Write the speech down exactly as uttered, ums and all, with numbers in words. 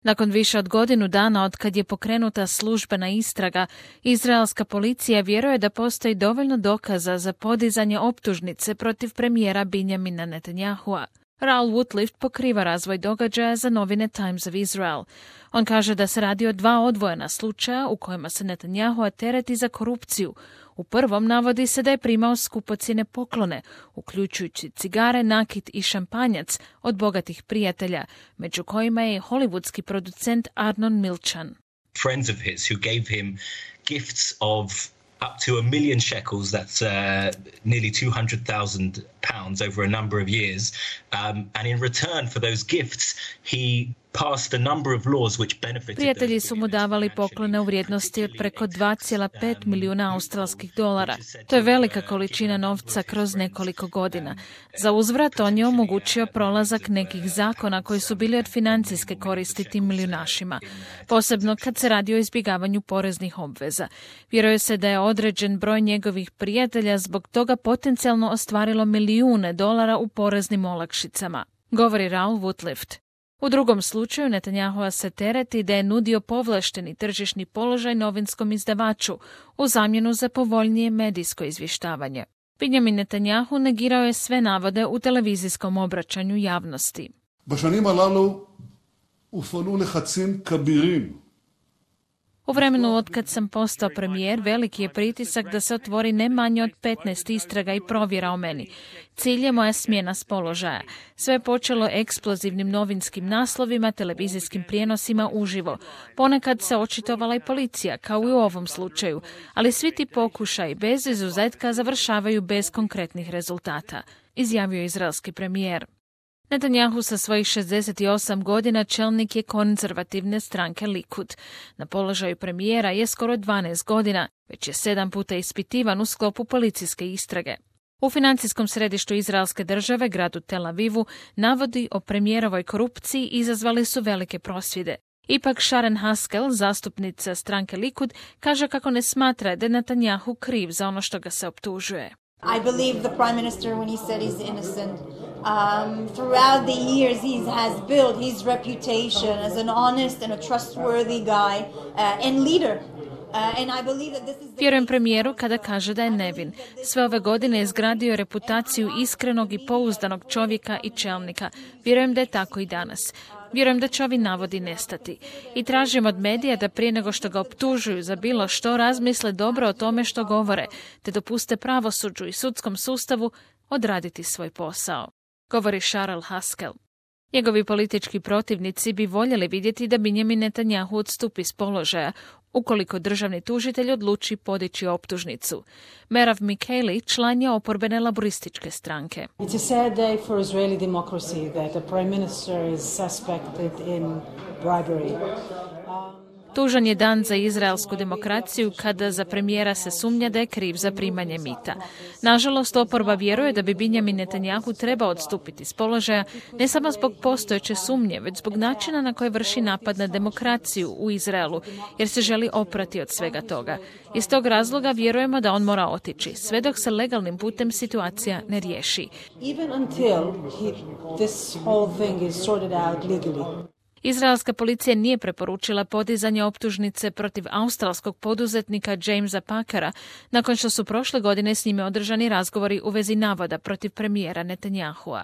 Nakon više od godinu dana od kad je pokrenuta službena istraga, izraelska policija vjeruje da postoji dovoljno dokaza za podizanje optužnice protiv premijera Binjamina Netanyahua. Raul Woodlift pokriva razvoj događaja za novine Times of Israel. On kaže da se radi o dva odvojena slučaja u kojima se Netanyahua tereti za korupciju. U prvom navodi se da je primao skupocjene poklone, uključujući cigare, nakit i šampanjac od bogatih prijatelja, među kojima je hollywoodski producent Arnon Milchan. Friends of his who gave him gifts of up to a million shekels, that's uh, nearly two hundred thousand pounds over a number of years. Um, and in return for those gifts, he passed a number of laws which benefited. Prijatelji su mu davali poklone u vrijednosti od preko dva zarez pet milijuna australskih dolara. To je velika količina novca kroz nekoliko godina. Za uzvrat on je omogućio prolazak nekih zakona koji su bili od financijske koristi tim milijunašima, posebno kad se radi o izbjegavanju poreznih obveza. Vjeruje se da je određen broj njegovih prijatelja zbog toga potencijalno ostvarilo milijune dolara u poreznim olakšicama, govori Raul Woodlift. U drugom slučaju Netanyahua se tereti da je nudio povlašteni tržišni položaj novinskom izdavaču u zamjenu za povoljnije medijsko izvještavanje. Binjamin Netanyahu negirao je sve navode u televizijskom obraćanju javnosti. בשנים הללו הופעלו לחצים כבירים. U vremenu od kad sam postao premijer, veliki je pritisak da se otvori ne manje od petnaest istraga i provjera o meni. Cilj je moja smjena s položaja. Sve je počelo eksplozivnim novinskim naslovima, televizijskim prijenosima uživo. Ponekad se očitovala i policija, kao i u ovom slučaju, ali svi ti pokušaji bez izuzetka završavaju bez konkretnih rezultata, izjavio je izraelski premijer. Netanyahu sa svojih šezdeset osam godina čelnik je konzervativne stranke Likud. Na položaju premijera je skoro dvanaest godina, već je sedam puta ispitivan u sklopu policijske istrage. U financijskom središtu izraelske države, gradu Tel Avivu, navodi o premijerovoj korupciji izazvali su velike prosvjede. Ipak Sharon Haskel, zastupnica stranke Likud, kaže kako ne smatra da je Netanyahu kriv za ono što ga se optužuje. I believe the prime minister when he said he's innocent. Um, throughout the years he has built his reputation as an honest and a trustworthy guy uh, and leader. Vjerujem premijeru kada kaže da je nevin. Sve ove godine je izgradio reputaciju iskrenog i pouzdanog čovjeka i čelnika. Vjerujem da je tako i danas. Vjerujem da će ovi navodi nestati. I tražim od medija da prije nego što ga optužuju za bilo što razmisle dobro o tome što govore, te dopuste pravosuđu i sudskom sustavu odraditi svoj posao, govori Sharon Haskel. Njegovi politički protivnici bi voljeli vidjeti da Binjamin Netanyahu odstupi s položaja, ukoliko državni tužitelj odluči podići optužnicu. Merav Mikeli član je oporbene laborističke stranke. It's a sad day for Israeli democracy that the prime minister is suspected in bribery. Tužan je dan za izraelsku demokraciju kada za premijera se sumnja da je kriv za primanje mita. Nažalost, oporba vjeruje da bi Binjamin Netanyahu trebao odstupiti s položaja ne samo zbog postojeće sumnje, već zbog načina na koje vrši napad na demokraciju u Izraelu, jer se želi oprati od svega toga. Iz tog razloga vjerujemo da on mora otići, sve dok se legalnim putem situacija ne riješi. Even until he, this whole thing is sorted out legally. Izraelska policija nije preporučila podizanje optužnice protiv australskog poduzetnika Jamesa Packera nakon što su prošle godine s njime održani razgovori u vezi navoda protiv premijera Netanyahua.